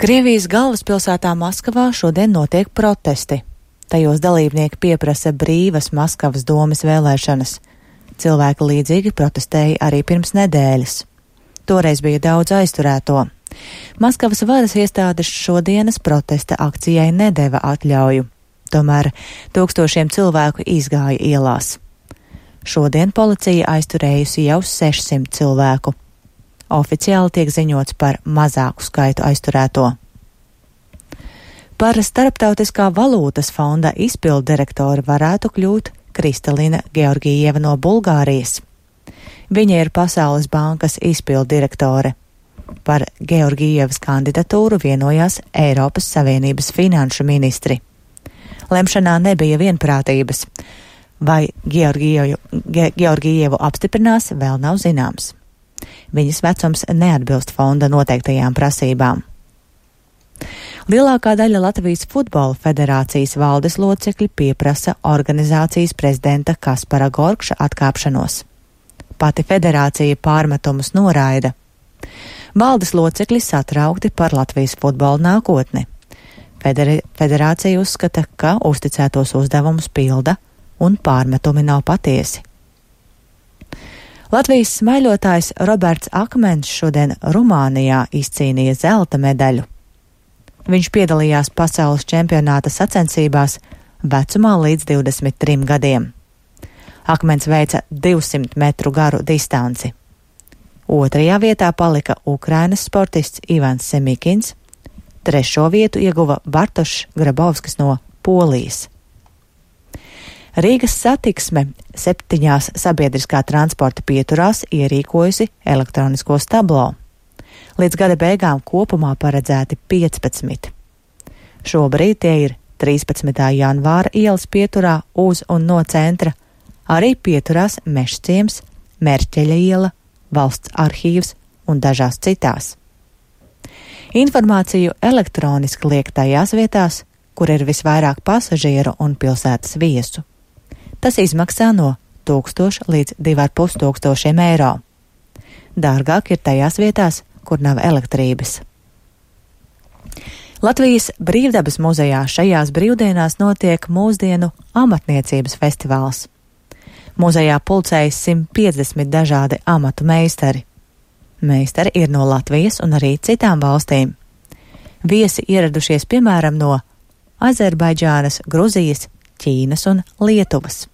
Krievijas galvaspilsētā Maskavā šodien notiek protesti. Tajos dalībnieki pieprasa brīvas Maskavas domes vēlēšanas. Cilvēki līdzīgi protestēja arī pirms nedēļas. Toreiz bija daudz aizturēto. Maskavas varas iestādes šodienas protesta akcijai nedeva atļauju. Tomēr tūkstošiem cilvēku izgāja ielās. Šodien policija aizturējusi jau 600 cilvēku. Oficiāli tiek ziņots par mazāku skaitu aizturēto. Par Starptautiskā valūtas fonda izpilddirektori varētu kļūt Kristalina Georgieva no Bulgārijas. Viņa ir Pasaules bankas izpilddirektore. Par Georgievas kandidatūru vienojās Eiropas Savienības finanšu ministri. Lemšanā nebija vienprātības. Vai Georgievu apstiprinās, vēl nav zināms. Viņas vecums neatbilst fonda noteiktajām prasībām. Lielākā daļa Latvijas futbola federācijas valdes locekļi pieprasa organizācijas prezidenta Kaspara Gorkša atkāpšanos. Pati federācija pārmetumus noraida. Valdes locekļi satraukti par Latvijas futbola nākotni. Federācija uzskata, ka uzticētos uzdevumus pilda un pārmetumi nav patiesi. Latvijas smaiļotājs Roberts Akmens šodien Rumānijā izcīnīja zelta medaļu. Viņš piedalījās pasaules čempionāta sacensībās vecumā līdz 23 gadiem. Akmens veica 200 metru garu distanci. Otrajā vietā palika Ukrainas sportists Ivans Semikins, trešo vietu ieguva Bartošs Grabovskis no Polijas. Rīgas satiksme 7 sabiedriskā transporta pieturās ierīkojusi elektroniskos tablo. Līdz gada beigām kopumā paredzēti 15. Šobrīd tie ir 13. janvāra ielas pieturā uz un no centra, arī pieturās Mežciems, Merķeļa iela, Valsts arhīvs un dažās citās. Informācju elektroniski liek tajās vietās, kur ir visvairāk pasažieru un pilsētas viesu. Tas izmaksā no 1000 līdz 2500 eiro. Dārgāk ir tajās vietās, kur nav elektrības. Latvijas Brīvdabas muzejā šajās brīvdienās notiek mūsdienu amatniecības festivāls. Muzejā pulcējas 150 dažādi amatu meistari. Meistari ir no Latvijas un arī citām valstīm. Viesi ieradušies piemēram no Azerbaidžānas, Gruzijas, Ķīnas un Lietuvas.